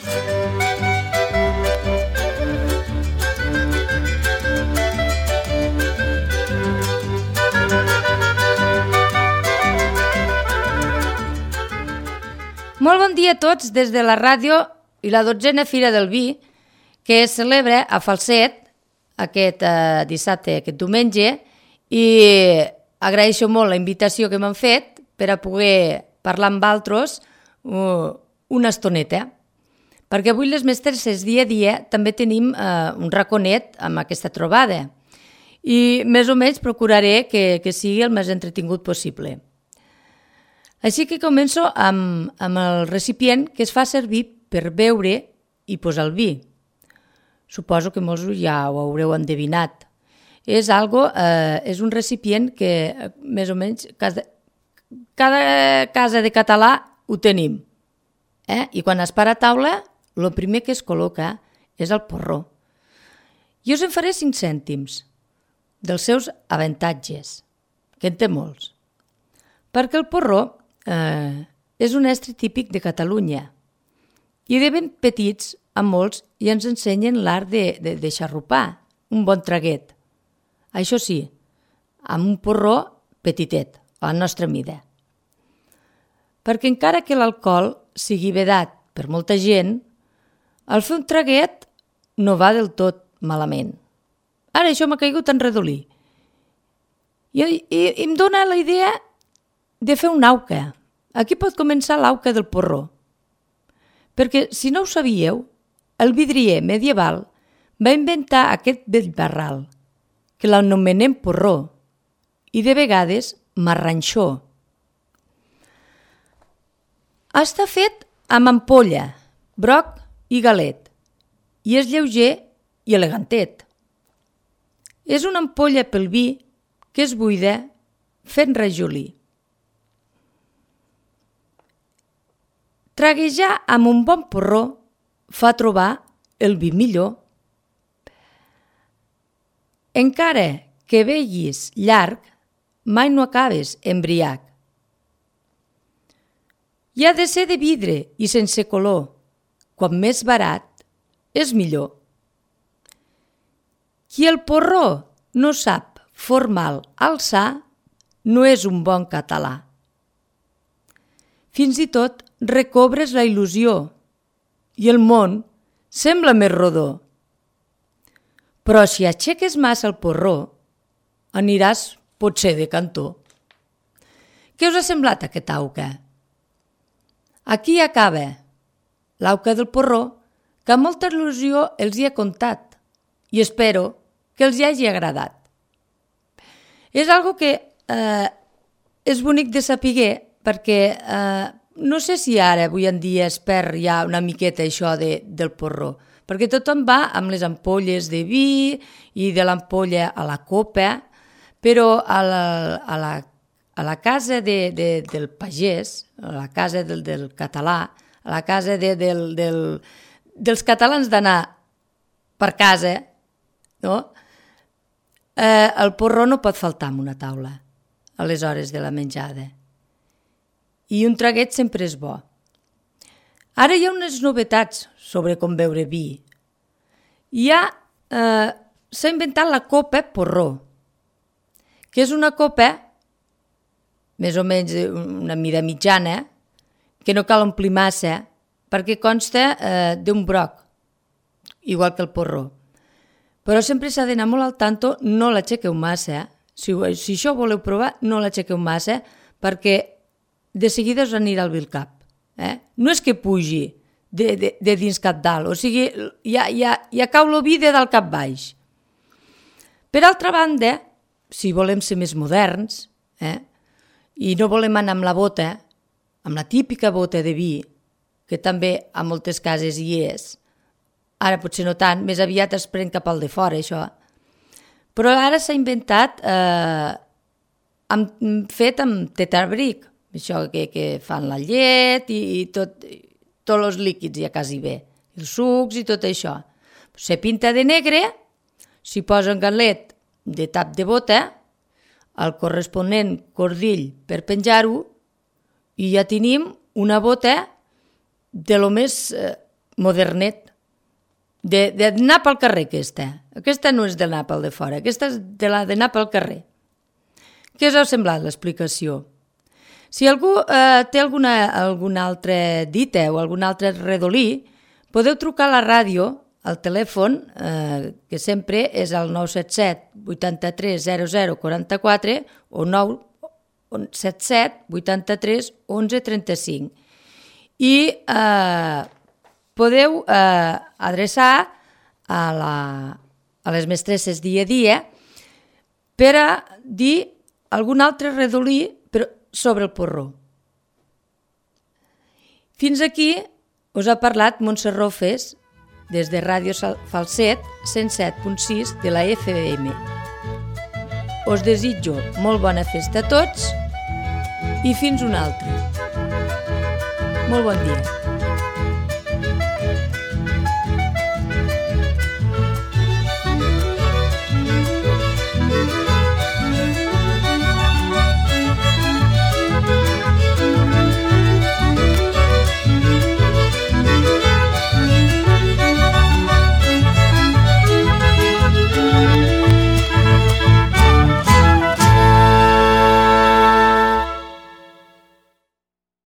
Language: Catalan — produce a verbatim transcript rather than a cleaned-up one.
Molt bon dia a tots des de la ràdio i la dotzena Fira del Vi, que es celebra a Falset aquest eh, dissabte, aquest diumenge, i agraeixo molt la invitació que m'han fet per a poder parlar amb altres uh, una estoneta. Perquè avui les mestresses dia a dia també tenim eh, un raconet amb aquesta trobada i més o menys procuraré que, que sigui el més entretingut possible. Així que començo amb, amb el recipient que es fa servir per beure i posar el vi. Suposo que molts ja ho haureu endevinat. És, algo, eh, és un recipient que més o menys cada, cada casa de català ho tenim. Eh? I quan es para a taula, el primer que es col·loca és el porró. Jo us en faré cinc cèntims dels seus avantatges, que en té molts. Perquè el porró eh, és un estri típic de Catalunya i de ben petits a molts i ens ensenyen l'art de, de, de xarrupar, un bon traguet. Això sí, amb un porró petitet, a la nostra mida. Perquè encara que l'alcohol sigui vedat per molta gent, el fer un traguet no va del tot malament. Ara això m'ha caigut en redolí. I, i, i em dóna la idea de fer un auca. Aquí pot començar l'auca del porró. Perquè, si no ho sabíeu, el vidrier medieval va inventar aquest vell barral, que l'anomenem porró, i de vegades marranxó. Està fet amb ampolla, broc i galet, i és lleuger i elegantet. És una ampolla pel vi que es buida fent rajolí. Traguejar amb un bon porró fa trobar el vi millor. Encara que beguis llarg, mai no acabes embriac. I ha de ser de vidre i sense color. Quan més barat, és millor. Qui el porró no sap formal alçar, no és un bon català. Fins i tot recobres la il·lusió i el món sembla més rodó. Però si aixeques massa el porró, aniràs potser de cantó. Què us ha semblat aquest auca? Aquí acaba l'auca del porró, que amb molta il·lusió els hi he contat i espero que els hi hagi agradat. És algo que eh, és bonic de saber perquè eh, no sé si ara, avui en dia, es perd ja una miqueta això de, del porró, perquè tothom va amb les ampolles de vi i de l'ampolla a la copa, però a la, a la, a la casa de, de, del pagès, a la casa del, del català, a la casa de, del, del, dels catalans d'anar per casa, no? eh, el porró no pot faltar en una taula a les hores de la menjada. I un traguet sempre és bo. Ara hi ha unes novetats sobre com beure vi. Hi ha, eh, s'ha inventat la copa porró, que és una copa, més o menys una mida mitjana, que no cal omplir massa, perquè consta eh, d'un broc, igual que el porró. Però sempre s'ha d'anar molt al tanto, no l'aixequeu massa. Si, si això voleu provar, no l'aixequeu massa, perquè de seguida us anirà al vi el cap. Eh? No és que pugi de, de, de dins cap dalt, o sigui, ja, ja, ja cau el vi de dalt cap baix. Per altra banda, si volem ser més moderns, eh? i no volem anar amb la bota, amb la típica bota de vi, que també a moltes cases hi és, ara potser no tant, més aviat es pren cap al de fora, això. Però ara s'ha inventat eh, amb, fet amb tetrabric, això que, que fan la llet i, i tot, tots els líquids ja quasi bé, els sucs i tot això. Se pinta de negre, s'hi posa un galet de tap de bota, el corresponent cordill per penjar-ho i ja tenim una bota de lo més eh, modernet, d'anar pel carrer aquesta. Aquesta no és d'anar pel de fora, aquesta és de la d'anar pel carrer. Què us ha semblat l'explicació? Si algú eh, té alguna, algun altre dita o algun altre redolí, podeu trucar a la ràdio, al telèfon, eh, que sempre és el nou set set vuitanta-tres zero zero quaranta-quatre o nou set set vuitanta-tres onze trenta-cinc. I eh, podeu eh, adreçar a, la, a les mestresses dia a dia per a dir algun altre redolí però sobre el porró. Fins aquí us ha parlat Montse Rofes des de Ràdio Falset cent set punt sis de la F M. Us desitjo molt bona festa a tots i fins una altra. Molt bon dia.